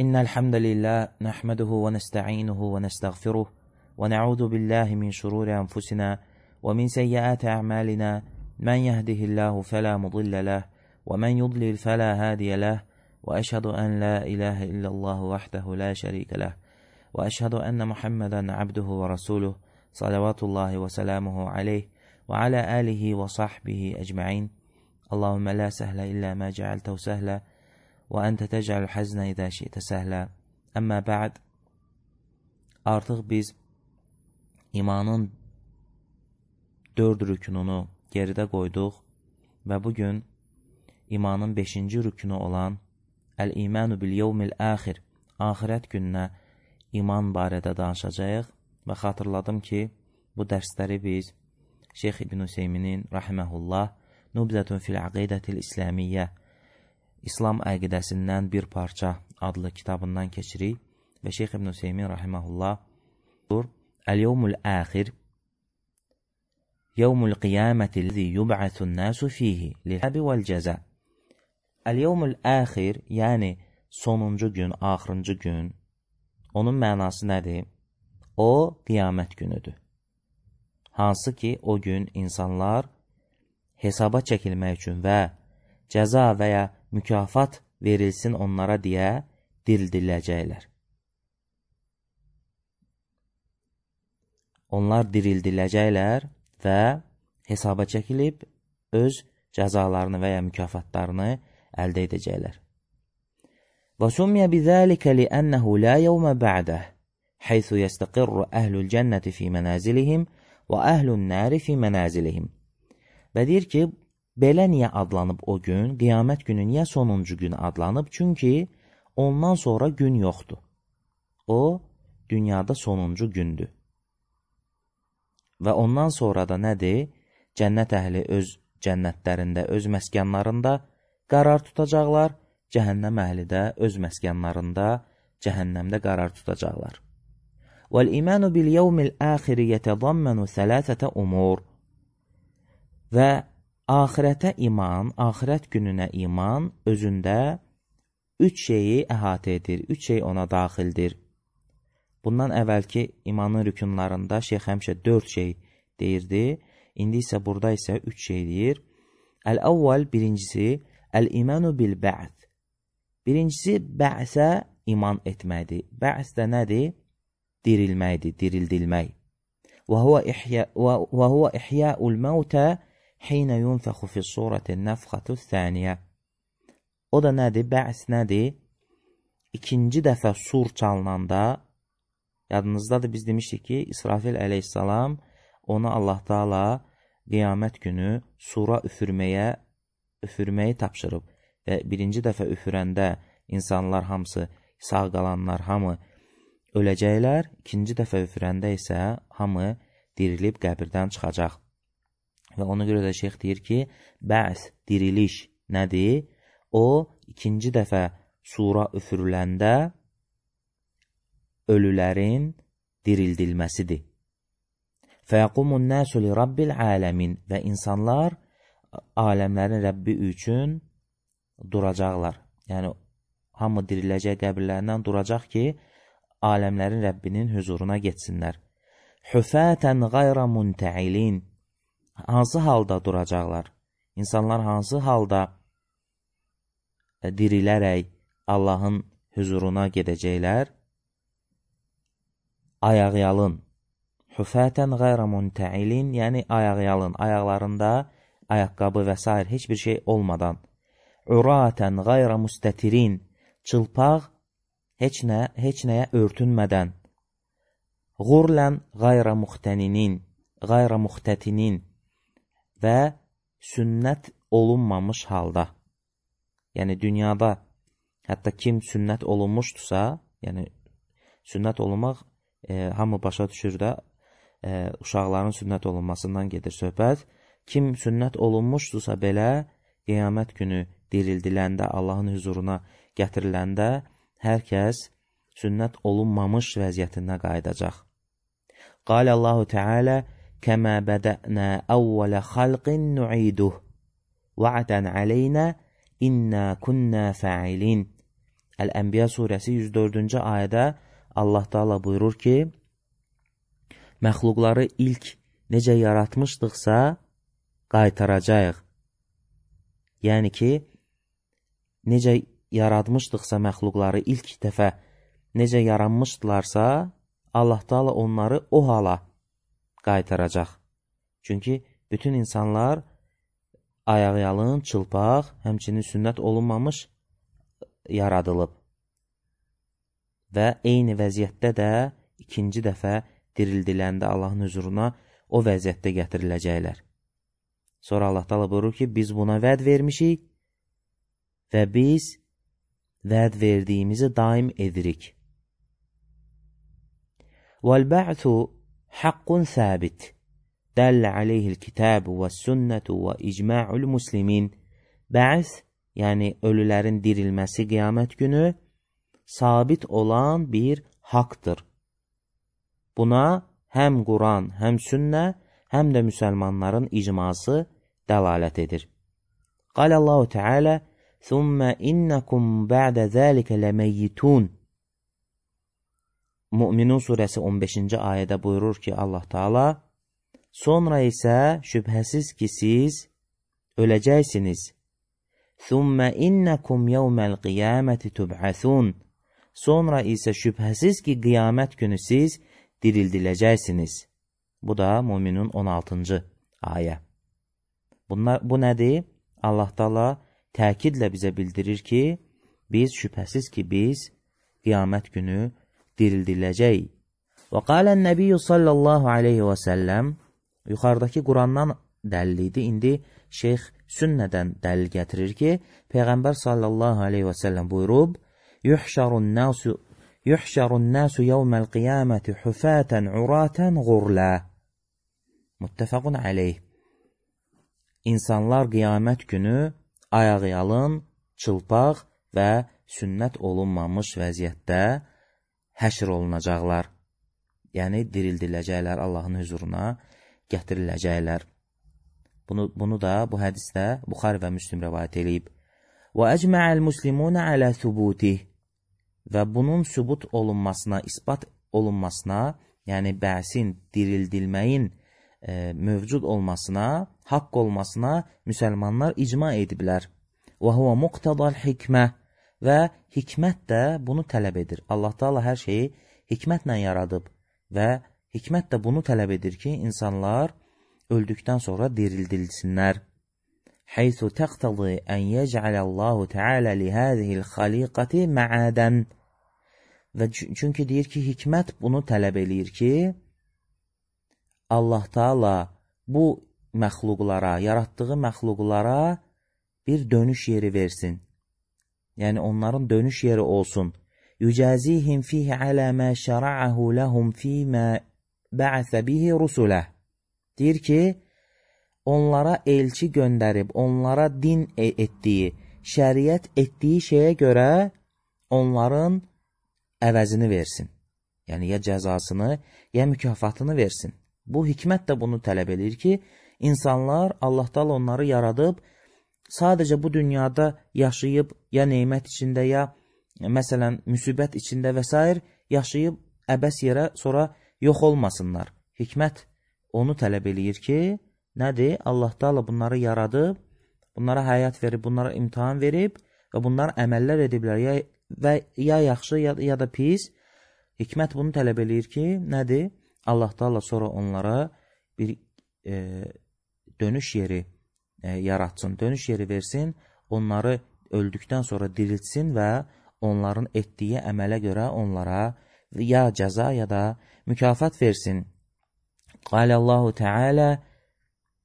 إن الحمد لله نحمده ونستعينه ونستغفره ونعوذ بالله من شرور أنفسنا ومن سيئات أعمالنا من يهده الله فلا مضل له ومن يضلل فلا هادي له وأشهد أن لا إله إلا الله وحده لا شريك له وأشهد أن محمدا عبده ورسوله صلوات الله وسلامه عليه وعلى آله وصحبه أجمعين. اللهم لا سهل إلا ما جعلته سهلا وأنت تجعل الحزن إذا شئت سهلا. Əmmə bə'd, artıq biz imanın 4 rükününü geridə qoyduq və bugün imanın 5-ci rükünü olan Əl-İmanu bil-yevmil-əxir, axirət gününə iman barədə danışacağıq və xatırladım ki, bu dərsləri biz Şeyx İbn Hüseyminin rahiməhullah Nubzətun fil-Əqidətil-İslamiyyə, İslam əqidəsindən bir parça adlı kitabından keçirik və Şeyx İbn Hüseymin rahiməhullah Əl-yevmul-əxir yevmul-qiyaməti-ləzi yub'asun-nasu fihi lil-həbi vəl-cəzə. Əl-yevmul-əxir, yəni sonuncu gün, axırıncı gün, onun mənası nədir? O, qiyamət günüdür. Hansı ki, o gün insanlar hesaba çəkilmək üçün və cəza və ya mükafat verilsin onlara deyə dirildiləcəklər. Onlar dirildiləcəklər və hesaba çəkilib öz cəzalarını və ya mükafatlarını əldə edəcəklər. Və summiyə bizəlikə li'ənəhu la yevmə bə'də haythu yəstəqirru əhlül cənnəti fi mənazilihim və əhlün nəri fi mənazilihim. Və deyir ki, belə niyə adlanıb o gün, qiyamət günü niyə sonuncu gün adlanıb? Çünki ondan sonra gün yoxdur. O, dünyada sonuncu gündür. Və ondan sonra da nədir? Cənnət əhli öz cənnətlərində, öz məskənlərində qərar tutacaqlar, cəhənnəm əhli də öz məskənlərində, cəhənnəmdə qərar tutacaqlar. Vəl-imanu bil-yevmil-əxiri yətədammanu thələthətə umur. Və axirətə iman, axirət gününə iman özündə 3 şeyi əhatə edir, 3 şey ona daxildir. Bundan əvvəlki imanın rükunlarında Şeyx həmişə 4 şey deyirdi, indi isə burada isə 3 şey deyir. Əl-əvvəl, birincisi, əl-imanu bil-bə'th. Birincisi, bə'sə iman etməkdir. Bə'th də nədir? Dirilməkdir, dirildilmək. Və huvə ihya'ul mevtə Heyne yunfəxu fi surətin nəfxətü thəniyə. O da nədir? Bə's nədir? İkinci dəfə sur çalınanda, yadınızdadır biz demişdik ki, İsrafil əleyhissalam ona Allah Taala qiyamət günü sura üfürməyi tapşırıb və birinci dəfə üfürəndə insanlar hamısı, sağ qalanlar hamı öləcəklər, ikinci dəfə üfürəndə isə hamı dirilib qəbirdən çıxacaq. Və ona görə də şeyx deyir ki, bə'th, diriliş nədir? O, ikinci dəfə sura üfürüləndə ölülərin dirildilməsidir. Fəyəqumun nəsu li rabbil aləmin. Və insanlar aləmlərin Rəbbi üçün duracaqlar. Yəni, hamı diriləcək qəbirlərindən duracaq ki, aləmlərin Rəbbinin huzuruna getsinlər. Hüfətən qayra muntəilin. Hansı halda duracaqlar? İnsanlar hansı halda dirilərək Allahın huzuruna gedəcəklər? Ayaqyalın. Hüfətən qayra muntəilin, yəni ayaqyalın, ayaqlarında ayaqqabı və s. heç bir şey olmadan. Uratən qayra müstətirin, çılpaq, heç nəyə örtünmədən. Qurlən qayra muxtətinin və sünnət olunmamış halda. Yəni, dünyada hətta kim sünnət olunmuşdursa, yəni sünnət olunmaq hamı başa düşür də, uşaqların sünnət olunmasından gedir söhbət. Kim sünnət olunmuşdursa belə, qiyamət günü dirildiləndə, Allahın huzuruna gətiriləndə, hər kəs sünnət olunmamış vəziyyətində qayıdacaq. Qalə Allahu Teala, kəmə bədə'nə əvvələ xalqin nu'iduh, va'dən aleynə innə künnə fa'ilin. Əl-Ənbiya surəsi 104-cü ayədə Allah Taala buyurur ki, məxluqları ilk necə yaratmışdıqsa qaytaracağıq. Yəni ki, necə yaratmışdıqsa məxluqları ilk dəfə necə yaranmışdılarsa, Allah Taala onları o hala qaytaracaq. Çünki bütün insanlar ayaqyalın, çılpaq, həmçinin sünnət olunmamış yaradılıb. Və eyni vəziyyətdə də ikinci dəfə dirildiləndə Allahın huzuruna o vəziyyətdə gətiriləcəklər. Sonra Allah Taala buyurur ki, biz buna vəd vermişik və biz vəd verdiyimizi daim edirik. وَالْبَعْثُ حَقٌّ ثَابِتٌ دَلَّ عَلَيْهِ الْكِتَابُ وَالسُّنَّةُ وَإِجْمَاعُ الْمُسْلِمِينَ. Bə'th, yəni ölülərin dirilməsi qiyamət günü sabit olan bir haqdır. Buna həm Quran, həm sünnə, həm də müsəlmanların icması dəlalət edir. Qalallahu Teala: "Thumma innakum ba'da zalika lamayyitun." Müminun surəsi 15-ci ayədə buyurur ki, Allah Taala, sonra isə şübhəsiz ki siz öləcəksiniz. "Thumma innakum yawmal qiyamati tub'asun." Sonra isə şübhəsiz ki qiyamət günü siz dirildiləcəksiniz. Bu da Müminun 16-cı ayə. Bu nədir? Allah Taala təkidlə bizə bildirir ki, biz şübhəsiz ki biz qiyamət günü dirildiləcəyik. Və qalən Nəbiyyu sallallahu aleyhi və səlləm, yuxarıdakı Qurandan dəlil idi, indi Şeyx sünnədən dəlil gətirir ki, Peyğəmbər sallallahu aleyhi və səlləm buyurub, Yuhşarun nasu yawmal qiyamati hufatan uratan ghurla. Muttefaqun aleyh. İnsanlar qiyamət günü ayaqyalın, çılpaq və sünnət olunmamış vəziyyətdə həşr olunacaqlar. Yəni dirildiləcəklər, Allahın huzuruna gətiriləcəklər. Bunu da bu hədisdə Buxari və Müslim rivayət edib. Və əcma'al muslimuna ala thubutih. Və bunun sübut olunmasına, isbat olunmasına, yəni bə'sin, dirildilməyin mövcud olmasına, haqq olmasına müsəlmanlar icma ediblər. Və huve muqtadal hikmə. Və hikmət də bunu tələb edir. Allah Taala hər şeyi hikmətlə yaradıb və hikmət də bunu tələb edir ki, insanlar öldükdən sonra dirildilsinlər. Haythu taqtadi an yec'alallahu Teala li hadhihi al-khaliqati ma'adan. Və çünki deyir ki, hikmət bunu tələb eləyir ki, Allah Taala bu məxluqlara, yaratdığı məxluqlara bir dönüş yeri versin. Yəni onların dönüş yeri olsun. Yücazihim fihi ala ma şara'ahu lahum fima ba'atha bihi rusulah. Deyir ki, onlara elçi göndərib, onlara din etdiyi, şəriət etdiyi şeyə görə onların əvəzini versin. Yəni ya cəzasını, ya mükafatını versin. Bu hikmət də bunu tələb edir ki, insanlar Allah Taala onları yaradıb, sadəcə bu dünyada yaşayıb, ya nemət içində, ya məsələn müsibət içində və s. yaşayıb əbəs yerə sonra yox olmasınlar. Hikmət onu tələb eləyir ki, nədir? Allah Taala bunları yaradıb, bunlara həyat verib, bunlara imtahan verib və bunlar əməllər ediblər, ya yaxşı, ya da pis. Hikmət bunu tələb eləyir ki, nədir? Allah Taala sonra onlara bir dönüş yeri yaratsın, dönüş yeri versin, onları öldükdən sonra diriltsin və onların etdiyi əmələ görə onlara ya cəza, ya da mükafat versin. Qalallahu Teala: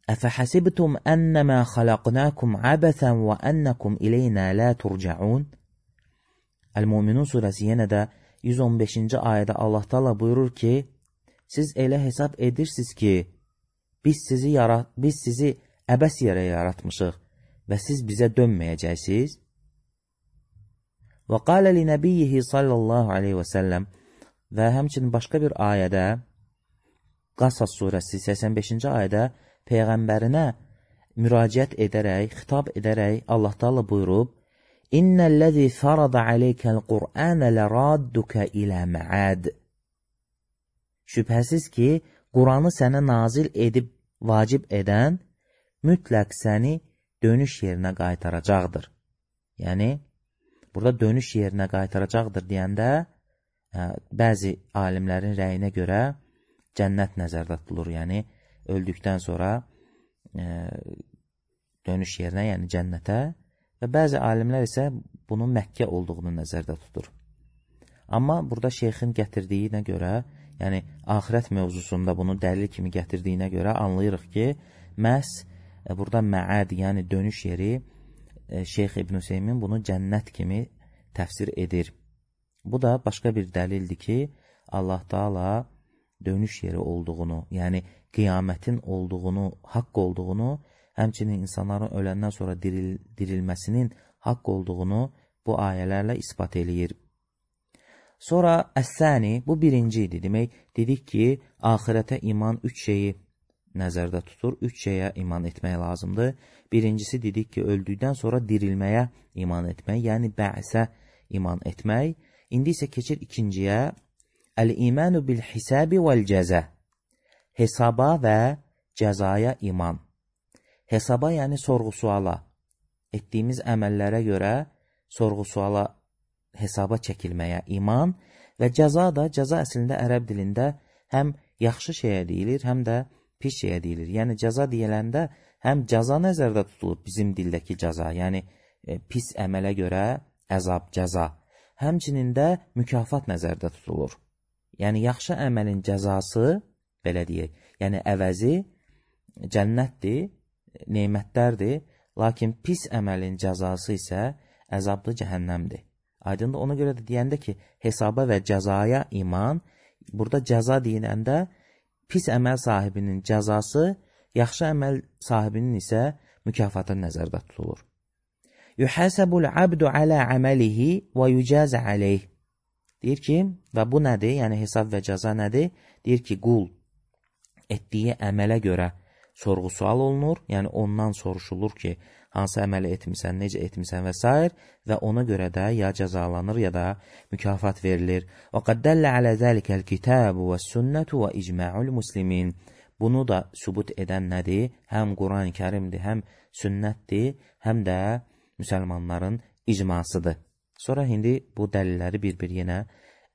"Əfəhəsibtum ennəmə xalaqnakum abəsən və ənnəkum ileynə la turcaun." Əl-Müminun surəsi yenə də 115-ci ayədə Allah Taala buyurur ki, siz elə hesab edirsiniz ki, biz sizi əbəs yerə yaratmışıq və siz bizə dönməyəcəksiniz. Və qalə li nəbiyyihi sallallahu aleyhi və səlləm, və həmçinin başqa bir ayədə, Qasas surəsi 85-ci ayədə Peyğəmbərinə müraciət edərək, xitab edərək Allah Taala buyurub, İnnellezî farada aleykel Qur'ane leradduke ilə mə'ad. Şübhəsiz ki, Quranı sənə nazil edib vacib edən mütləq səni dönüş yerinə qaytaracaqdır. Yəni, burada dönüş yerinə qaytaracaqdır deyəndə, bəzi alimlərin rəyinə görə cənnət nəzərdə tutulur. Yəni, öldükdən sonra dönüş yerinə, yəni cənnətə və bəzi alimlər isə bunun Məkkə olduğunu nəzərdə tutur. Amma burada şeyxin gətirdiyinə görə, yəni axirət mövzusunda bunu dəlil kimi gətirdiyinə görə anlayırıq ki, məhz burada məad, yəni dönüş yeri, Şeyx İbn Hüseymin bunu cənnət kimi təfsir edir. Bu da başqa bir dəlildir ki, Allah Taala dönüş yeri olduğunu, yəni qiyamətin olduğunu, haqq olduğunu, həmçinin insanların öləndən sonra dirilməsinin haqq olduğunu bu ayələrlə ispat eləyir. Sonra əs-sani, bu birinci idi. Demək, dedik ki, axirətə iman 3 şeyi nəzərdə tutur. 3 şeyə iman etmək lazımdır. Birincisi dedik ki, öldükdən sonra dirilməyə iman etmək, yəni bə'sə iman etmək. İndi isə keçir ikinciyə, əl-imanu bil-hisabi vəl-cəzə. Hesaba və cəzaya iman. Hesaba, yəni sorğu-suala. Etdiyimiz əməllərə görə sorğu-suala, hesaba çəkilməyə iman və cəza da, cəza əslində ərəb dilində həm yaxşı şeyə deyilir, həm də pis şeyə deyilir. Yəni, cəza deyiləndə həm cəza nəzərdə tutulur, bizim dildəki cəza, yəni pis əmələ görə əzab, cəza. Həmçinin də mükafat nəzərdə tutulur. Yəni, yaxşı əməlin cəzası, belə deyək, yəni əvəzi cənnətdir, neymətlərdir, lakin pis əməlin cəzası isə əzablı cəhənnəmdir. Aydındır, ona görə də deyəndə ki, hesaba və cəzaya iman, burada cəza deyiləndə pis əməl sahibinin cəzası, yaxşı əməl sahibinin isə mükafatı nəzərdə tutulur. Yuhasabul abdu ala amalihi və yucazə aleyh. Deyir ki, və bu nədir? Yəni hesab və cəza nədir? Deyir ki, qul etdiyi əmələ görə sorğu-sual olunur, yəni ondan soruşulur ki, hansı əməli etmirsən, necə etmirsən və s. və ona görə də ya cəzalanır, ya da mükafat verilir. Və qad dəllə alə zəlikəl kitabu və sünnətu və icma'ul muslimin. Bunu da sübut edən nədir? Həm Quran-ı Kərimdir, həm sünnətdir, həm də müsəlmanların icmasıdır. Sonra indi bu dəlilləri bir-bir yenə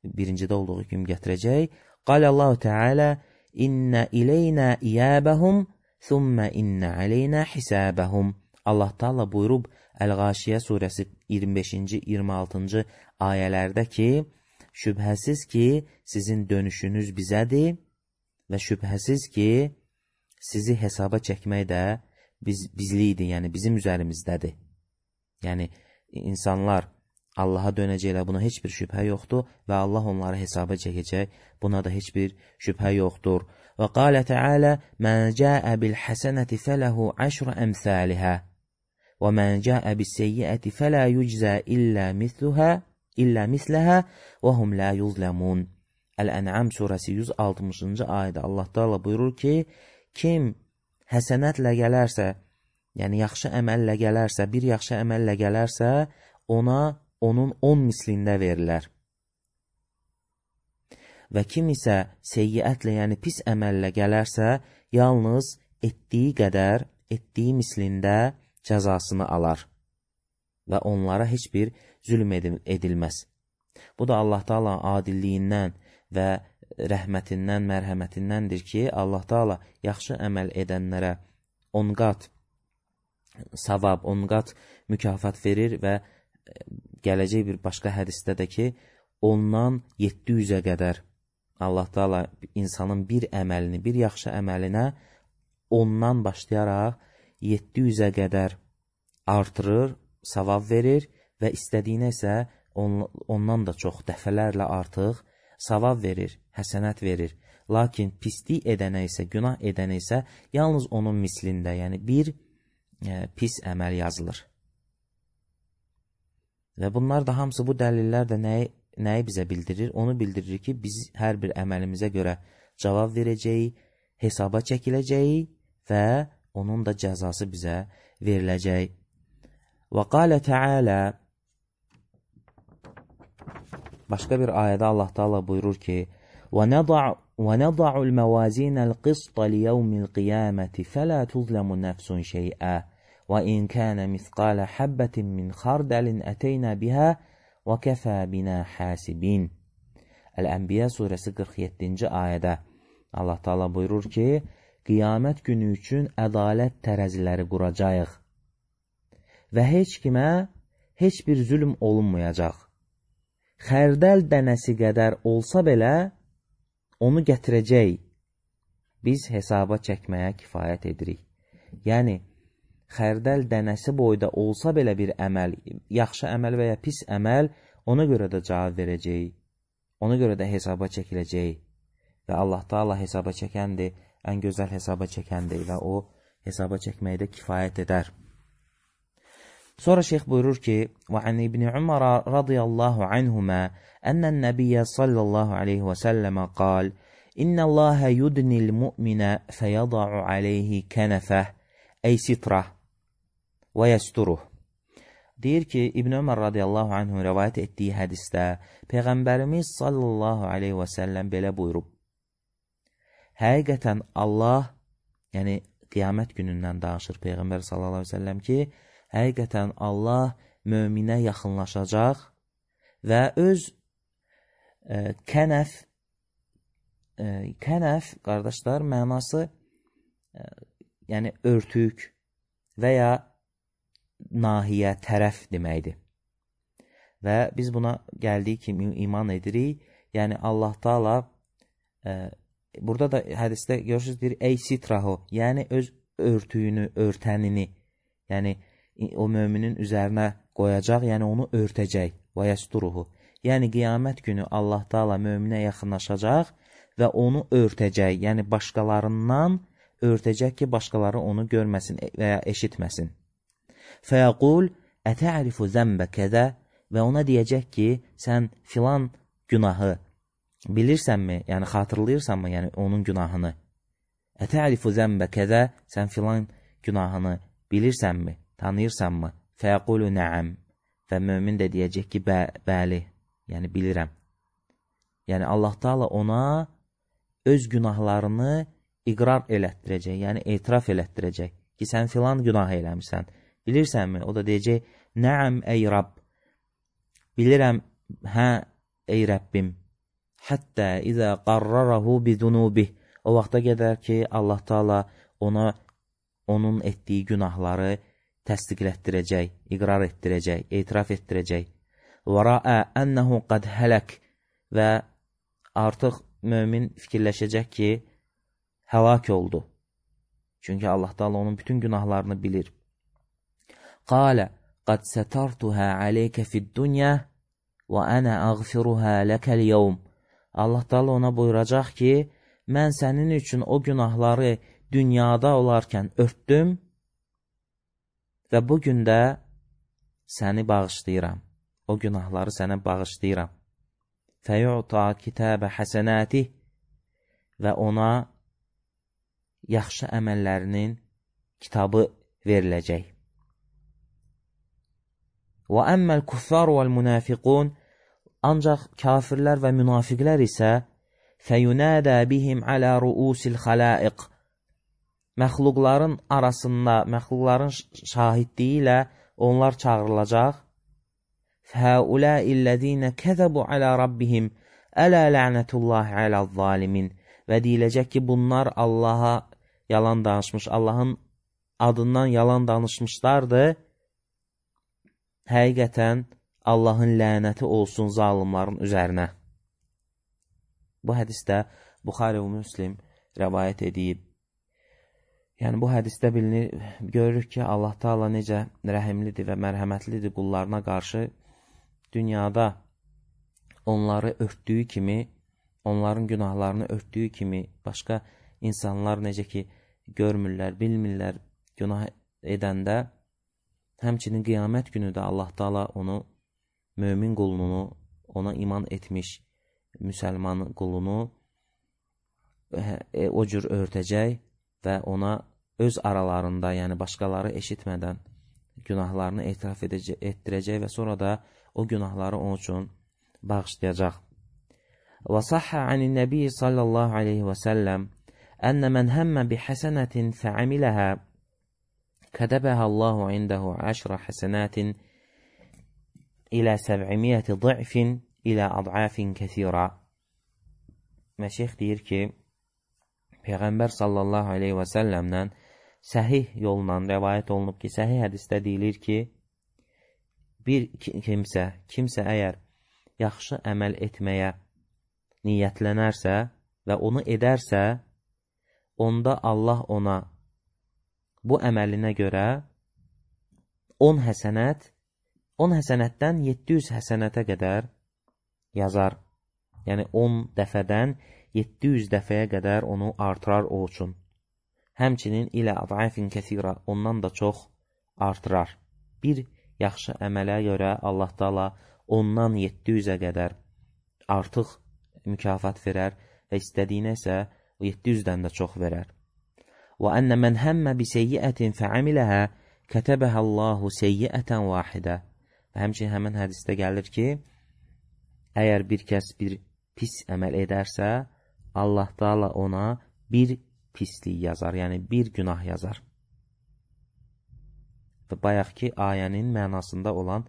birincidə olduğu kimi gətirəcək. Qalallahu Teala İnnə ileynə iyəbəhum thumma inna aleyna hisabahum. Allah Taala buyurub Əl-Ğaşiyə surəsi 25-ci, 26-cı ayələrdə ki, şübhəsiz ki, sizin dönüşünüz bizədir və şübhəsiz ki, sizi hesaba çəkmək də bizlikdir, yəni bizim üzərimizdədir. Yəni, insanlar Allaha dönəcəklər, buna heç bir şübhə yoxdur və Allah onları hesaba çəkəcək, buna da heç bir şübhə yoxdur. Və qalə Teala, mən cəə bil-həsənəti fələhu əşrə əmsəlihə və mən cəə bis-seyyiəti fələ yüczə illə misləhə və hum lə yuzləmun. Əl-Ən'am surəsi 160-cı ayədə Allah Taala buyurur ki, kim həsənətlə gələrsə, yəni yaxşı əməllə gələrsə, bir yaxşı əməllə gələrsə, ona onun 10 mislində verilər. Və kim isə seyyiətlə, yəni pis əməllə gələrsə, yalnız etdiyi qədər, etdiyi mislində cəzasını alar və onlara heç bir zülm edilməz. Bu da Allah Taala adilliyindən və rəhmətindən, mərhəmətindəndir ki, Allah Taala yaxşı əməl edənlərə 10 qat savab, 10 qat mükafat verir və gələcək bir başqa hədisdə də ki, ondan 700-ə qədər Allah Taala insanın bir əməlini, bir yaxşı əməlinə ondan başlayaraq 700-ə qədər artırır, savab verir və istədiyinə isə ondan da çox dəfələrlə artıq savab verir, həsənət verir. Lakin pislik edənə isə, günah edənə isə yalnız onun mislində, yəni bir pis əməl yazılır. Və bunlar da hamısı, bu dəlillər də nəyi bizə bildirir? Onu bildirir ki, biz hər bir əməlimizə görə cavab verəcəyik, hesaba çəkiləcəyik və onun da cəzası bizə veriləcək. Və qalə Teala, başqa bir ayədə Allah Taala buyurur ki: وَنَضَعُ الْمَوَازِينَ الْقِسْطَ لِيَوْمِ الْقِيَامَةِ فَلَا تُظْلَمُ نَفْسٌ شَيْئًا وَإِنْ كَانَ مِثْقَالَ حَبَّةٍ مِّنْ خَرْدَلٍ أَتَيْنَا بِهَا وَكَفَى بِنَا حَاسِبِينَ. Əl-Ənbiya surəsi 47-ci ayədə Allah Taala buyurur ki: qiyamət günü üçün ədalət tərəziləri quracağıq və heç kimə heç bir zülm olunmayacaq. Xərdəl dənəsi qədər olsa belə onu gətirəcək. Biz hesaba çəkməyə kifayət edirik. Yəni, xərdəl dənəsi boyda olsa belə bir əməl, yaxşı əməl və ya pis əməl, ona görə də cavab verəcək. Ona görə də hesaba çəkiləcək. Və Allah Taala hesaba çəkəndir, ən gözəl hesaba çəkəndir və o hesaba çəkməkdə kifayət edər. Sonra şeyx buyurur ki: وَعَنْ İbn Umar radiyallahu anhuma ənnən nəbiyyə sallallahu aleyhi və səlləmə qal: İnnə Allahə yudnil mu'minə fəyəda'u aleyhi kənəfəh əy sitrah və yəsturuh. Deyir ki, İbn Ömər radiyallahu anhu rəvayət etdiyi hədisdə Peyğəmbərimiz sallallahu aleyhi və səlləm belə buyurub: həqiqətən Allah, yəni qiyamət günündən danışır Peyğəmbər sallallahu aleyhi və səlləm ki, həqiqətən Allah möminə yaxınlaşacaq və öz kənəf, qardaşlar, mənası yəni örtük və ya nahiyə, tərəf deməkdir. Və biz buna gəldiyi kimi iman edirik. Yəni Allah Taala burada da hədisdə görürsünüz deyir, ey sitrahu, yəni öz örtüyünü, örtənini, yəni o möminin üzərinə qoyacaq, yəni onu örtəcək. Və yəsturuhu. Yəni qiyamət günü Allah Taala möminə yaxınlaşacaq və onu örtəcək, yəni başqalarından örtəcək ki, başqaları onu görməsin və ya eşitməsin. Fəyəqul ətə'rifu zəmbə kədə və ona deyəcək ki, sən filan günahı bilirsənmi, yəni xatırlayırsanmı, yəni onun günahını? Ətə'rifu zəmbə kədə, sən filan günahını bilirsənmi, tanıyırsanmı? Fəyəqulu nəəm və mömin də deyəcək ki, bəli, yəni bilirəm. Yəni Allah Taala ona öz günahlarını iqrar elətdirəcək, yəni etiraf elətdirəcək ki, sən filan günah eləmişsən. Bilirsənmi? O da deyəcək, nəəm ey Rab, bilirəm, hə ey Rəbbim. Həttə izə qarrarahu bizunubih. O vaxta qədər ki, Allah Taala ona onun etdiyi günahları təsdiqlətdirəcək, iqrar etdirəcək, etiraf etdirəcək. Və rəə ənəhu qad hələk və artıq mömin fikirləşəcək ki, həlak oldu. Çünki Allah Taala onun bütün günahlarını bilir. Qalə qad sətartuhə aleykə fid-dunya və ənə əğfiruhə ləkəl yevm. Allah Taala ona buyuracaq ki, mən sənin üçün o günahları dünyada olarkən örtdüm və bugün də səni bağışlayıram. O günahları sənə bağışlayıram. Fəyu'ta kitəbə həsənətih və ona yaxşı əməllərinin kitabı veriləcək. Və əmməl kuffar vəl münafiqun, ancaq kafirlər və münafiqlər isə fəyunədə bihim alə ruusil xalaiq, məxluqların arasında, məxluqların şahidliyi ilə onlar çağırılacaq. Fəuləillədinə kəzəbu alə rabbihim ələ lə'nətullahi aləz-zalimin və deyiləcək ki, bunlar Allaha yalan danışmış, Allahın adından yalan danışmışlardır. Həqiqətən Allahın lənəti olsun zalimların üzərinə. Bu hədisdə Buxari və Müslim rəvayət edib. Yəni bu hədisdə bilinir, görürük ki, Allah Taala necə rəhimlidir və mərhəmətlidir qullarına qarşı. Dünyada onları örtdüyü kimi, onların günahlarını örtdüyü kimi, başqa insanlar necə ki, görmürlər, bilmirlər günah edəndə, həmçinin qiyamət günü də Allah Taala onu, mömin qulunu, ona iman etmiş müsəlman qulunu o cür örtəcək və ona öz aralarında, yəni başqaları eşitmədən günahlarını etiraf etdirəcək və sonra da o günahları onun üçün bağışlayacaq. Və sahha anin-nəbi sallallahu aleyhi və səlləm ənə mən həmmə bi həsənətin fəamiləhə kədəbəhə Allahu indəhu 10 həsənətin ilə 700 ضعfin ilə ad'afin kəsirə. Və şeyx deyir ki, Peyğəmbər sallallahu aleyhi və səlləmdən səhih yolla rəvayət olunub ki, səhih hədisdə deyilir ki, bir kimsə əgər yaxşı əməl etməyə niyyətlənərsə və onu edərsə, onda Allah ona bu əməlinə görə 10 həsənətdən 700 həsənətə qədər yazar. Yəni 10 dəfədən 700 dəfəyə qədər onu artırar o üçün. Həmçinin ilə ad'afin kəsirə, ondan da çox artırar. Bir yaxşı əmələ görə Allah Taala ondan 700-ə qədər artıq mükafat verər və istədiyinə isə 700-dən də çox verər. Və ənə mən həmmə bi seyyiətin fəamiləhə kətəbəhə Allahu seyyiətən vahidə. Və həmçinin həmin hədisdə gəlir ki, əgər bir kəs bir pis əməl edərsə, Allah Taala ona bir pislik yazar, yəni bir günah yazar. Və bayaqki ayənin mənasında olan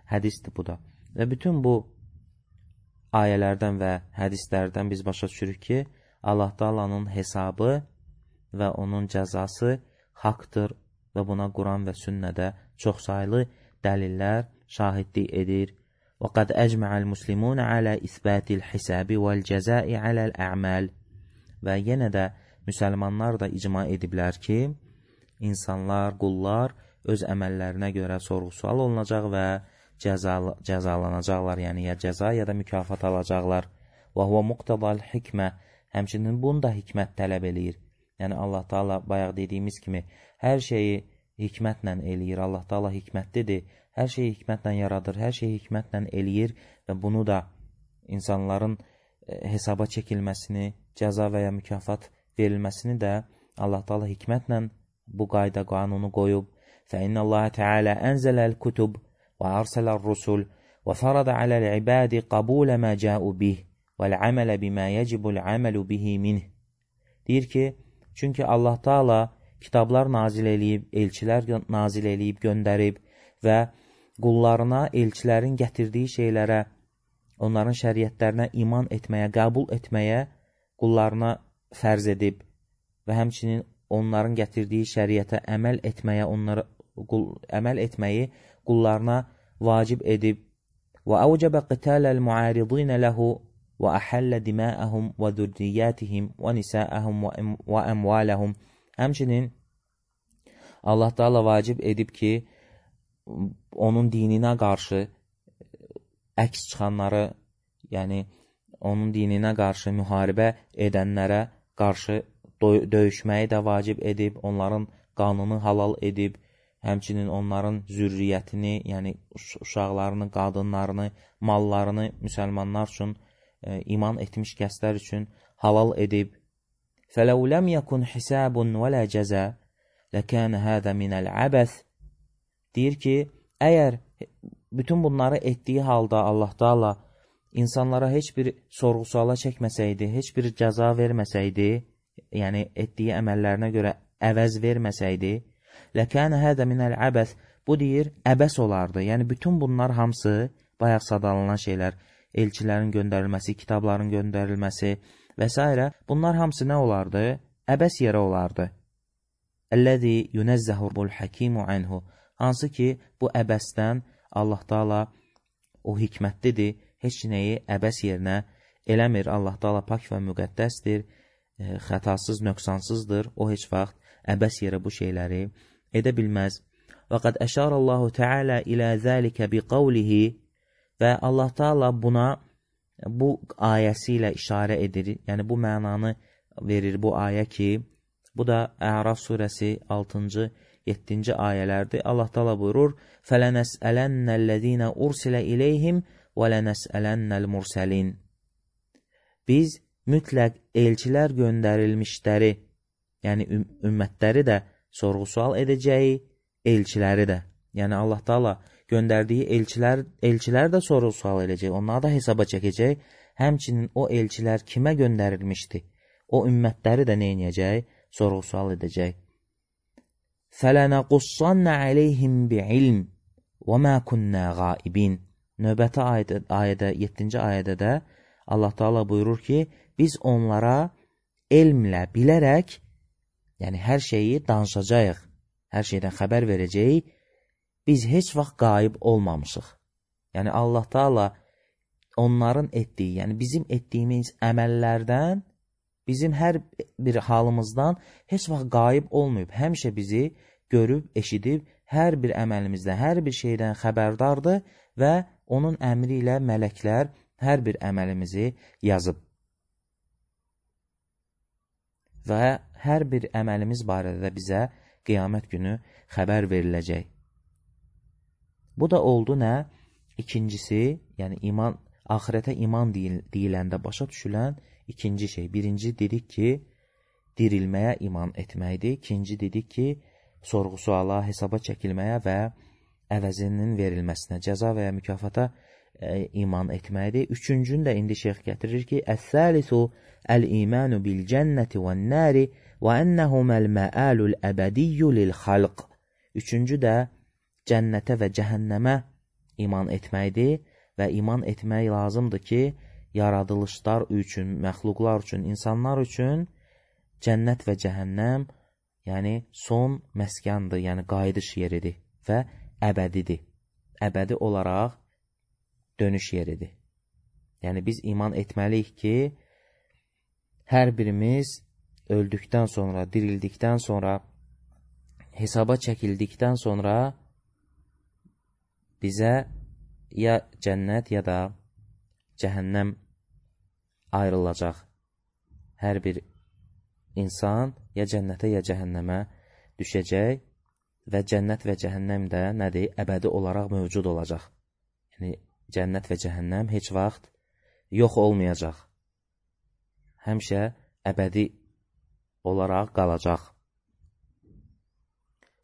hədisdir bu da. Və bütün bu ayələrdən və hədislərdən biz başa düşürük ki, Allah Taala'nın hesabı və onun cəzası haqdır və buna Quran və sünnədə çoxsaylı dəlillər şahidlik edir. وَقَدْ أَجْمَعَ الْمُسْلِمُونَ عَلَى إِثْبَاتِ الْحِسَابِ وَالْجَزَاءِ عَلَى الْأَعْمَالِ. Və yenə də müsəlmanlar da icma ediblər ki, insanlar, qullar öz əməllərinə görə sorğu-sual olunacaq və cəzalanacaqlar, yəni ya cəza ya da mükafat alacaqlar. وَهُوَ مُقْتَضَى الْحِكْمَةِ. Həmçinin bunu da hikmət tələb eləyir. Yəni Allah Taala bayaq dediyimiz kimi hər şeyi hikmətlə eləyir. Allah Taala hikmətlidir. Hər şeyi hikmətlə yaradır, hər şeyi hikmətlə eləyir və bunu da insanların hesaba çəkilməsini, cəza və ya mükafat verilməsini də Allah Taala hikmətlə bu qayda qanunu qoyub. فَإِنَّ اللَّهَ تَعَالَى أَنزَلَ الْكُتُبَ وَأَرْسَلَ الرُّسُلَ وَفَرَضَ عَلَى الْعِبَادِ قَبُولَ مَا جَاءُوا بِهِ وَالْعَمَلَ بِمَا يَجِبُ الْعَمَلُ بِهِ مِنْهِ. Deyir ki, çünki Allah Taala kitablar nazil eləyib, elçilər nazil eləyib, göndərib və qullarına elçilərin gətirdiyi şeylərə, onların şəriətlərinə iman etməyə, qəbul etməyə qullarına fərz edib və həmçinin onların gətirdiyi şəriətə əməl etməyi qullarına vacib edib. Və əvcəbə qitaləl muaridinə ləhu və əhəllə diməəhum və zürriyyətihim və nisəəhum və əmvaləhum. Həmçinin Allah Taala vacib edib ki, onun dininə qarşı əks çıxanları, yəni onun dininə qarşı müharibə edənlərə qarşı döyüşməyi də vacib edib, onların qanını halal edib, həmçinin onların zürriyyətini, yəni uşaqlarını, qadınlarını, mallarını müsəlmanlar üçün, iman etmiş kəslər üçün halal edib. فَلَوْ لَمْ يَكُنْ حِسَابٌ وَلَا جَزَى لَكَانَ هَذَا مِنَ الْعَبَثِ. Deyir ki, əgər bütün bunları etdiyi halda Allah Taala insanlara heç bir sorğu-suala çəkməsəydi, heç bir cəza verməsəydi, yəni etdiyi əməllərinə görə əvəz verməsəydi, ləkənə hədə minəl əbəs, bu deyir, əbəs olardı. Yəni bütün bunlar hamısı bayaq sadalanan şeylər, elçilərin göndərilməsi, kitabların göndərilməsi və s. bunlar hamısı nə olardı? Əbəs yerə olardı. Əlləzi yunəzzəhul həkimu anhu. Hansı ki, bu əbəsdən Allah Taala o hikmətlidir, heç nəyi əbəs yerinə eləmir. Allah Taala pak və müqəddəsdir, xətasız, nöqsansızdır. O heç vaxt əbəs yerə bu şeyləri edə bilməz. Və qəd əşarallahu Teala ilə zəlikə bi qavlihi. Və Allah Taala buna bu ayəsi ilə işarə edir. Yəni bu mənanı verir bu ayə ki, bu da Əraf surəsi 6-cı 7-ci ayələrdir. Allah Taala buyurur: "Fələnəsəlennəllezîne ursilə ileyhim və lənəsəlennəl mursalin." Biz mütləq elçilər göndərilmişləri, yəni ümmətləri də sorğu-sual edəcəyik, elçiləri də. Yəni Allah Taala göndərdiyi elçilər də sorğu-sual edəcək, onları da hesaba çəkəcək. Həmçinin o elçilər kimə göndərilmişdi? O ümmətləri də nə edəcək? Sorğu-sual edəcək. فَلَنَقُصَّنَّ عَلَيْهِمْ بِعِلْمٍ وَمَا كُنَّا غَائِبِينَ. Növbəti ayədə, 7-ci ayədə də Allah Taala buyurur ki, biz onlara elmlə, bilərək, yəni hər şeyi danışacağıq, hər şeydən xəbər verəcəyik, biz heç vaxt qaib olmamışıq. Yəni Allah Taala onların etdiyi, yəni bizim etdiyimiz əməllərdən, bizim hər bir halımızdan heç vaxt qaib olmayıb. Həmişə bizi görüb, eşidib, hər bir əməlimizdən, hər bir şeydən xəbərdardır və onun əmri ilə mələklər hər bir əməlimizi yazıb. Və hər bir əməlimiz barədə də bizə qiyamət günü xəbər veriləcək. Bu da oldu nə? İkincisi, yəni iman, axirətə iman deyiləndə başa düşülən ikinci şey. Birinci dedik ki, dirilməyə iman etməkdir. İkinci dedik ki, sorğu-suala, hesaba çəkilməyə və əvəzinin verilməsinə, cəza və ya mükafata iman etməkdir. Üçüncünü də indi şeyx gətirir ki, əs-səlisu əl-imanu bil-cənnəti və-n-nəri və ənəhuməl məəlul əbədiyyu lil-xalq. Üçüncü də cənnətə və cəhənnəmə iman etməkdir və iman etmək lazımdır ki, yaradılışlar üçün, məxluqlar üçün, insanlar üçün cənnət və cəhənnəm, yəni son məskandır, yəni qayıdış yeridir və əbədidir. Əbədi olaraq dönüş yeridir. Yəni biz iman etməliyik ki, hər birimiz öldükdən sonra, dirildikdən sonra, hesaba çəkildikdən sonra bizə ya cənnət ya da cəhənnəm ayrılacaq. Hər bir insan ya cənnətə ya cəhənnəmə düşəcək və cənnət və cəhənnəm də nədir? Əbədi olaraq mövcud olacaq. Yəni cənnət və cəhənnəm heç vaxt yox olmayacaq. Həmişə əbədi olaraq qalacaq.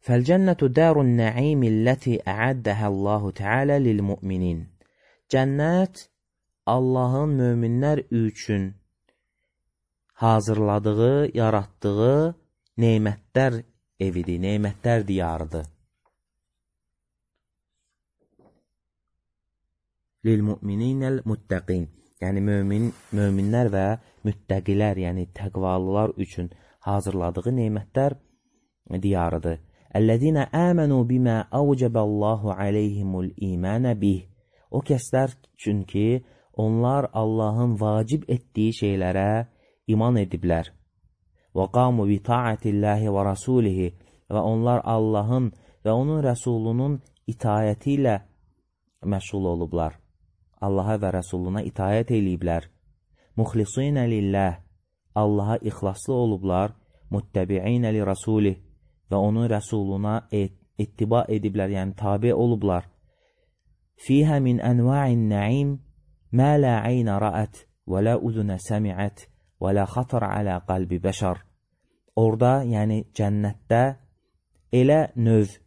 Fəl-cənnətu dərun nə'im illəti əəddəhə Allahu Teala lil-mu'minin. Cənnət Allahın möminlər üçün hazırladığı, yaratdığı neymətlər evidir, neymətlər diyarıdır. Lil-mu'mininəl muttəqin. Yəni möminlər və müttəqilər, yəni təqvalılar üçün hazırladığı neymətlər diyarıdır. Əl-ləzinə əmənu bimə əvcəbəllahu aleyhimul imanə bih. O kəslər üçün ki, onlar Allahın vacib etdiyi şeylərə iman ediblər. Və qamu bi ta'atillahi və rasulihi. Və onlar Allahın və onun rəsulunun itayəti ilə məşğul olublar. Allaha və rəsuluna itayət eləyiblər. Muxlisinə lilləh. Allaha ixlaslı olublar. Muttəbi'inə li rasulih. Və onun rəsuluna ittiba ediblər, yəni tabi olublar. Fiyhə min ənva'in nə'im mə lə əynə rəət və lə uzunə səmiət və lə xatır alə qalbi bəşər. Orada, yəni cənnətdə elə növ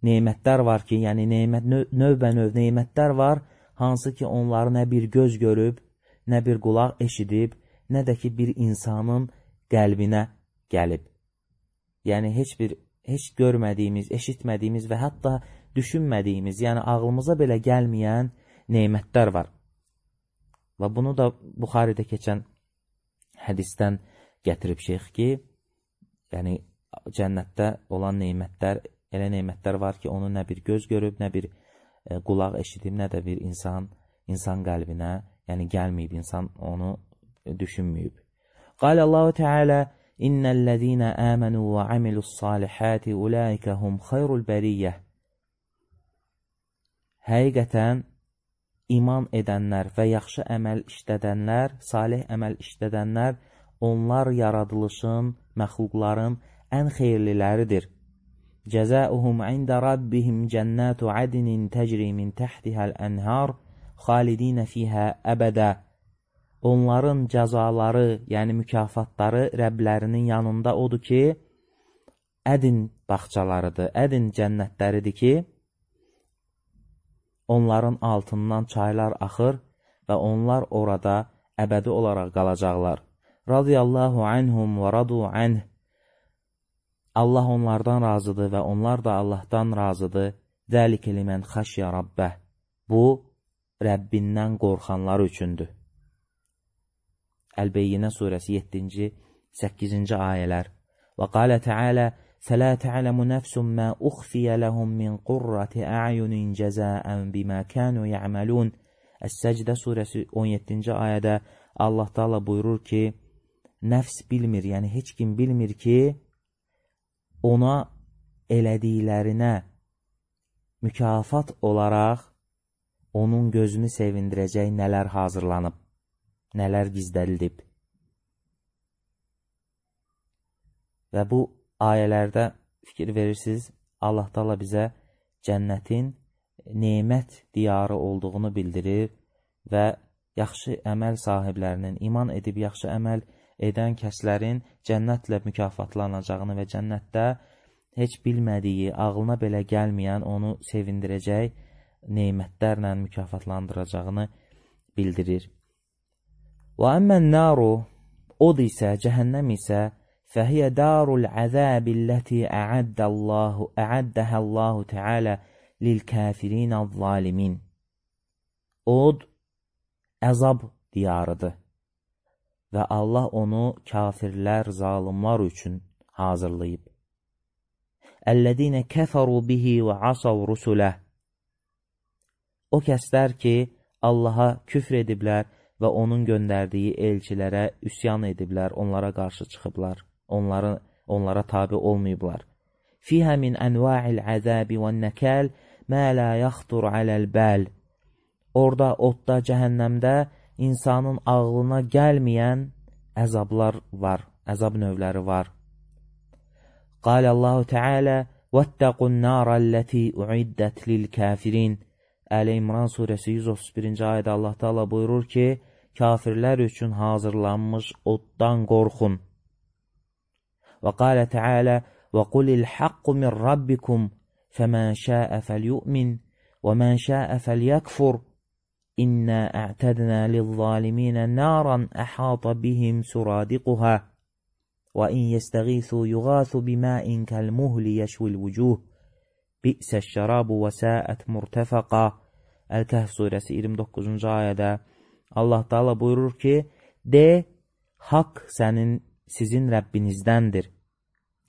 neymətlər var ki, yəni növbə-növ neymətlər var, hansı ki onları nə bir göz görüb, nə bir qulaq eşidib, nə də ki bir insanın qəlbinə gəlib. Yəni heç görmədiyimiz, eşitmədiyimiz və hətta düşünmədiyimiz, yəni ağlımıza belə gəlməyən neymətlər var. Və bunu da Buxaridə keçən hədisdən gətirib şeyx ki, yəni cənnətdə olan neymətlər, elə neymətlər var ki, onu nə bir göz görüb, nə bir qulaq eşidib, nə də bir insan qəlbinə, yəni gəlməyib, insan onu düşünməyib. Qalə Allahu Teala İnnəl-ləzīnə əmənu və amilus-salihəti ulaikə hum xayrul bəriyyəh. Həqiqətən iman edənlər və yaxşı əməl işlədənlər, salih əməl işlədənlər, onlar yaradılışın, məxluqların ən xeyirliləridir. Cəzəuhum ində rabbihim cənnətu adinin təcri min təhtihəl ənhar xalidinə fiyhə əbədə. Onların cəzaları, yəni mükafatları Rəblərinin yanında odur ki, ədin bağçalarıdır, ədin cənnətləridir ki, onların altından çaylar axır və onlar orada əbədi olaraq qalacaqlar. Radiyallahu anhum və radu anh. Allah onlardan razıdır və onlar da Allahdan razıdır. Zəlikə limən xəşyə Rabbə. Bu, Rəbbindən qorxanlar üçündür. Əl-Beyyinə surəsi 7-ci, 8-ci ayələr. Və qalə Teala, فَلَا تَعْلَمُ نَفْسٌ مَا أُخْفِيَ لَهُمْ مِنْ قُرَّةِ أَعْيُنٍ جَزَاءً بِمَا كَانُوا يَعْمَلُونَ. Əs-Səcdə surəsi 17-ci ayədə Allah Taala buyurur ki, nəfs bilmir, yəni heç kim bilmir ki, ona elədiklərinə mükafat olaraq onun gözünü sevindirəcək nələr hazırlanıb, nələr gizlədilib. Və bu ayələrdə fikir verirsiniz, Allah Taala bizə cənnətin nemət diyarı olduğunu bildirir və yaxşı əməl sahiblərinin, iman edib yaxşı əməl edən kəslərin cənnətlə mükafatlanacağını və cənnətdə heç bilmədiyi, ağlına belə gəlməyən onu sevindirəcək nemətlərlə mükafatlandıracağını bildirir. Və əmmən naru, od isə, cəhənnəm isə, fəhiyyə darul əzəbilləti əəddəhə Allahu Teala lil-kəfirinə zalimin. Od əzab diyarıdır və Allah onu kafirlər, zalimlar üçün hazırlayıb. Əllədinə kəfəru bihi və asav rusuləh. O kəslər ki, Allaha küfr ediblər və onun göndərdiyi elçilərə üsyan ediblər, onlara qarşı çıxıblar, onlara tabi olmayıblar. Fihə min ənva'il əzəbi və nəkəl mə lə yaxtur aləl-bəl. Orada, odda, cəhənnəmdə insanın ağlına gəlməyən əzablar var, əzab növləri var. Qalə Allahu Teala vəttəqun nərəlləti uiddət lil-kəfirin. Əl-İmran surəsi 131-ci ayədə Allah Taala buyurur ki, kafirlər üçün hazırlanmış oddan qorxun. Və qalə Teala və qulil haqqu min rabbikum fəmən şəə fəlyu'min və mən şəə fəlyəkfur İnnə a'tədnə lil-zaliminə naran əhata bihim suradiquha və in yestəğithu yuğathu biməin kəlmuhli yəşvil vücuh bi'səş-şərabu və səət murtəfəqa. Əl-Kəhf surəsi 29-cu ayədə Allah Taala buyurur ki, de, haqq sizin Rəbbinizdəndir.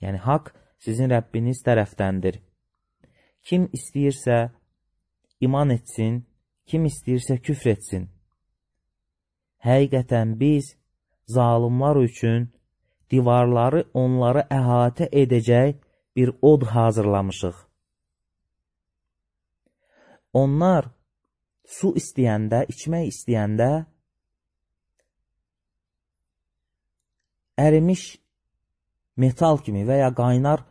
Yəni, haqq sizin Rəbbiniz tərəfdəndir. Kim istəyirsə iman etsin, kim istəyirsə küfr etsin. Həqiqətən biz zalimlar üçün divarları onları əhatə edəcək bir od hazırlamışıq. Onlar su istəyəndə, içmək istəyəndə ərimiş metal kimi və ya qaynar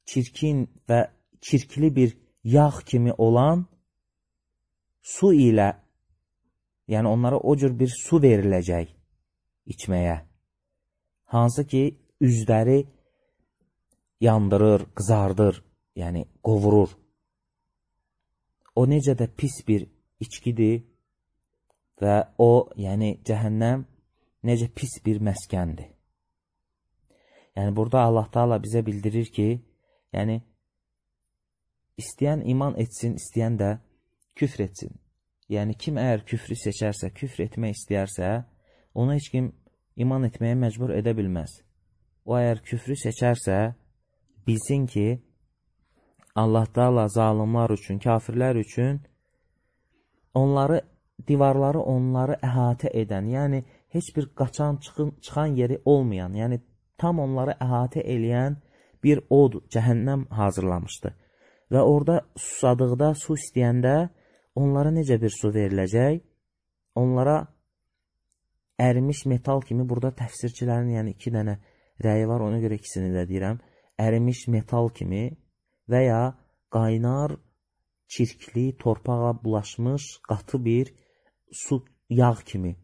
çirkin və çirkli bir yağ kimi olan su ilə, yəni onlara o cür bir su veriləcək içməyə. Hansı ki, üzləri yandırır, qızardır, yəni qovurur. O necə də pis bir içkidir və o, yəni cəhənnəm necə pis bir məskəndir. Yəni burada Allah Taala bizə bildirir ki, yəni istəyən iman etsin, istəyən də küfr etsin. Yəni kim əgər küfrü seçərsə, küfr etmək istəyərsə, ona heç kim iman etməyə məcbur edə bilməz. O əgər küfrü seçərsə, bilsin ki, Allah Taala zalimlar üçün, kafirlər üçün divarları onları əhatə edən, yəni heç bir qaçan, çıxan yeri olmayan, yəni tam onları əhatə eləyən bir od, cəhənnəm hazırlamışdı. Və orada susadıqda, su istəyəndə onlara necə bir su veriləcək? Onlara ərimiş metal kimi, burada təfsirçilərin yəni 2 dənə rəyi var, ona görə ikisini də deyirəm. Ərimiş metal kimi və ya qaynar, çirkli, torpağa bulaşmış, qatı bir su, yağ kimi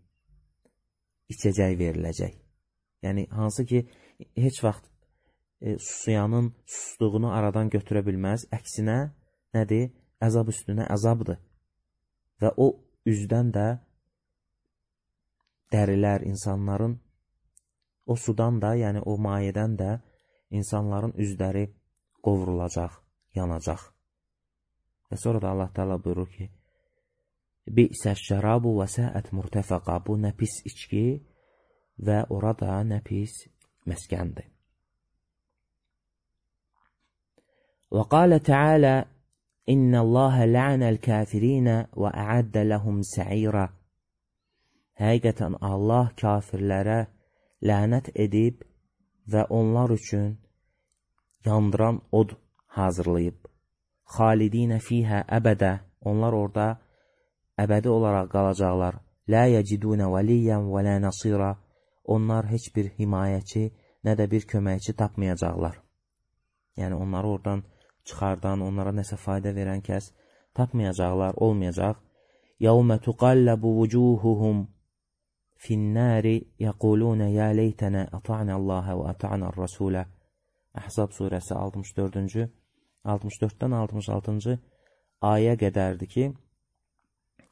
içəcək veriləcək. Yəni, hansı ki, heç vaxt susuyanın susduğunu aradan götürə bilməz. Əksinə, nədir? Əzab üstünə əzabdır. və o üzdən də dərilər insanların, o sudan da, yəni o mayədən də insanların üzləri qovrulacaq, yanacaq. Və sonra da Allah Teala buyurur ki, Bi'səş-şərabu və səət murtəfəqa, bu nə pis içki və orada nə pis məskəndir. Və qalə Teala, İnnəlləhə la'nəl kafirinə və əəddə ləhum sə'irə. Həqiqətən Allah kafirlərə lənət edib və onlar üçün yandıran od hazırlayıb. Xalidinə fiyhə əbədə, onlar orada əbədi olaraq qalacaqlar. Lə yəcidunə vəliyyən və lə nasira, onlar heç bir himayəçi, nə də bir köməkçi tapmayacaqlar. Yəni onları oradan çıxardan, onlara nəsə fayda verən kəs tapmayacaqlar, olmayacaq. Yəvmə tuqalləbu vucuhuhum finnəri yəqulunə yə leytənə əta'nəlləhə və əta'nər-rəsulə. Əhzab surəsi 64-dən 66-cı ayə qədərdir ki,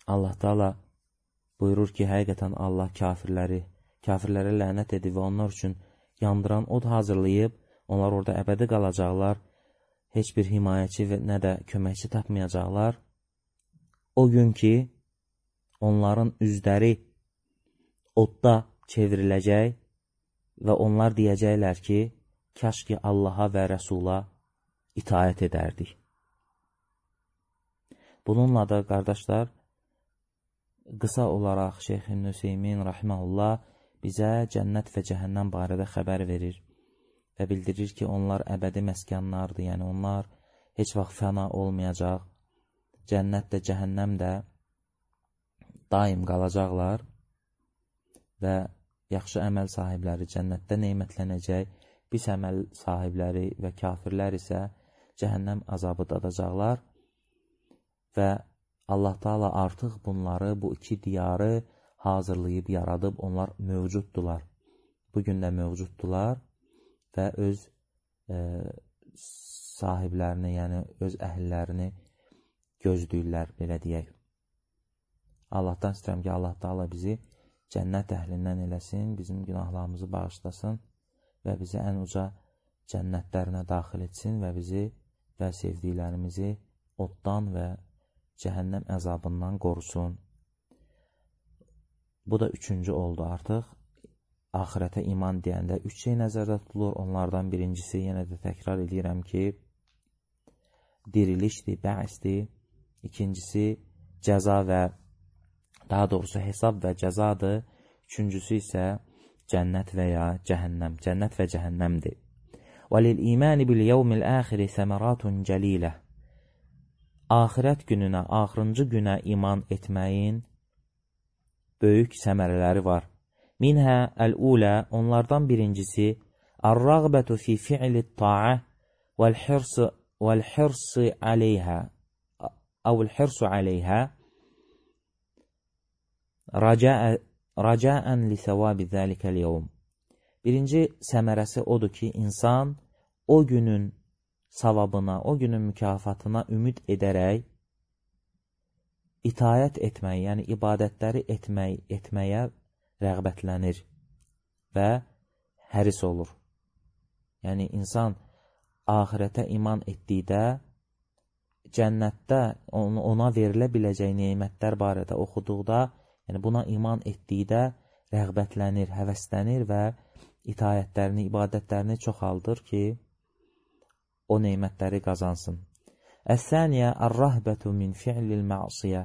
Allah Teala buyurur ki, həqiqətən Allah kafirlərə lənət edib və onlar üçün yandıran od hazırlayıb, onlar orada əbədi qalacaqlar, heç bir himayəçi və nə də köməkçi tapmayacaqlar. O gün ki, onların üzləri odda çevriləcək və onlar deyəcəklər ki, kaş ki Allaha və Rəsula itaət edərdik. Bununla da, qardaşlar, qısa olaraq Şeyx İbn Hüseymin rahimehullah bizə cənnət və cəhənnəm barədə xəbər verir və bildirir ki, onlar əbədi məskanlardır, yəni onlar heç vaxt fəna olmayacaq. Cənnət də, cəhənnəm də daim qalacaqlar və yaxşı əməl sahibləri cənnətdə nemətlənəcək, pis əməl sahibləri və kafirlər isə cəhənnəm azabı dadacaqlar və Allah Teala artıq bunları, bu iki diyarı hazırlayıb, yaradıb, onlar mövcuddular. Bugün də mövcuddular və öz sahiblərini, yəni öz əhillərini gözləyirlər, belə deyək. Allahdan istəyirəm ki, Allah Teala bizi cənnət əhlindən eləsin, bizim günahlarımızı bağışlasın və bizi ən uca cənnətlərinə daxil etsin və bizi və sevdiklərimizi oddan və cəhənnəm əzabından qorusun. Bu da üçüncü oldu artıq. Axirətə iman deyəndə üç şey nəzərdə tutulur. Onlardan birincisi, yenə də təkrar edirəm ki, dirilişdir, bə'sdir. İkincisi, cəza və daha doğrusu hesab və cəzadır. Üçüncüsü isə cənnət və ya cəhənnəm. Cənnət və cəhənnəmdir. وَلِلْإِيمَانِ بِالْيَوْمِ الْآخِرِ ثَمَرَاتٌ جَلِيلَةٌ. Axirət gününə, axırıncı günə iman etməyin böyük səmərələri var. Minhə əl-ulə, onlardan birincisi, əl-rəğbətu fi fi'li-t-ta'a vəl-hirsi aleyhə əvl-hirsu aleyhə rəcəən li-səvabi zəlikəl-yevm. Birinci səmərəsi odur ki, insan o günün savabına, o günün mükafatına ümid edərək itayət etmək, yəni ibadətləri etməyə rəğbətlənir və həris olur. Yəni, insan axirətə iman etdikdə, cənnətdə ona verilə biləcək neymətlər barədə oxuduqda, yəni buna iman etdikdə rəğbətlənir, həvəslənir və itayətlərini, ibadətlərini çoxaldır ki, o neymətləri qazansın. Əs-səniyə ər-rəhbətu min fi'lil ma'siyə.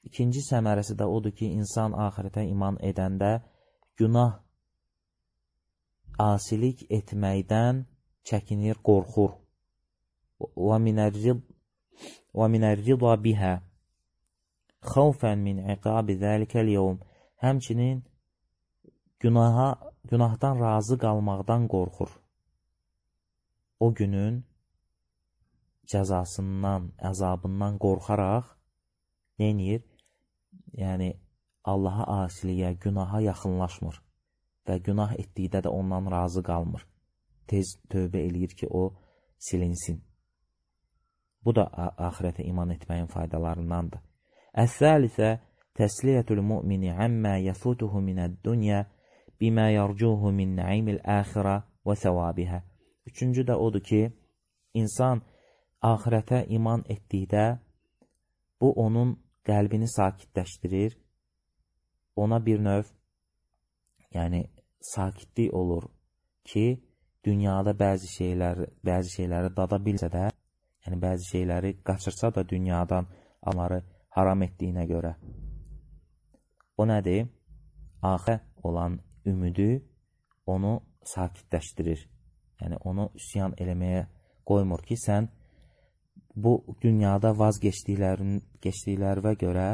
İkinci səmərəsi də odur ki, insan axirətə iman edəndə günah, asilik etməkdən çəkinir, qorxur. Və minər-rida bihə xavfən min iqabi zəlikəl-yevm. Həmçinin günahdan razı qalmaqdan qorxur. O günün cəzasından, əzabından qorxaraq neynir? Yəni, Allaha asiliyə, günaha yaxınlaşmır və günah etdikdə də ondan razı qalmır. Tez tövbə eləyir ki, o silinsin. Bu da axirətə iman etməyin faydalarındandır. Əs-salisə təsliyyətul mu'mini əmmə yəfutuhu minəd-dunya bimə yarcuhu min nəimil əxirə və səvabihə. Üçüncü də odur ki, insan axirətə iman etdikdə bu onun qəlbini sakitləşdirir, ona bir növ sakitlik olur ki, dünyada bəzi şeyləri dada bilsə də, bəzi şeyləri qaçırsa da dünyadan onları haram etdiyinə görə. O nədir? Axirə olan ümidi onu sakitləşdirir. Onu üsyan eləməyə qoymur ki, sən bu dünyada vazgeçdiklərinə görə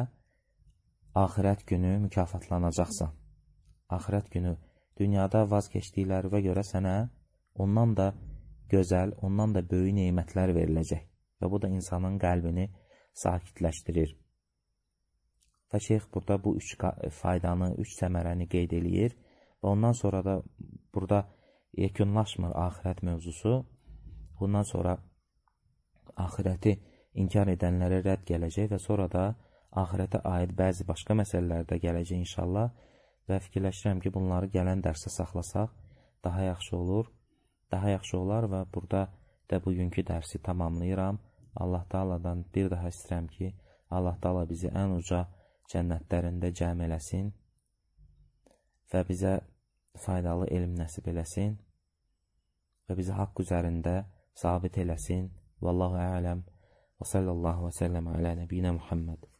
axirət günü mükafatlanacaqsan. Axirət günü dünyada vazgeçdiklərinə görə sənə ondan da gözəl, ondan da böyük neymətlər veriləcək. Və bu da insanın qəlbini sakitləşdirir. Və şeyx burada bu üç faydanı, üç səmərəni qeyd eləyir. Və ondan sonra da burada yekunlaşmır axirət mövzusu. Bundan sonra axirəti inkar edənlərə rədd gələcək və sonra da axirətə aid bəzi başqa məsələlər də gələcək inşallah. Və fikirləşirəm ki, bunları gələn dərsə saxlasaq daha yaxşı olur. Daha yaxşı olar və burada da bugünkü dərsi tamamlayıram. Allah Taala'dan bir daha istəyirəm ki, Allah Taala bizi ən uca cənnətlərində cəm eləsin və bizə faydalı elm nəsib eləsin və bizi haqq üzərində sabit eləsin. Vallahu a'lam və sallallahu və səlləm alə nəbiyyinə Muhammed.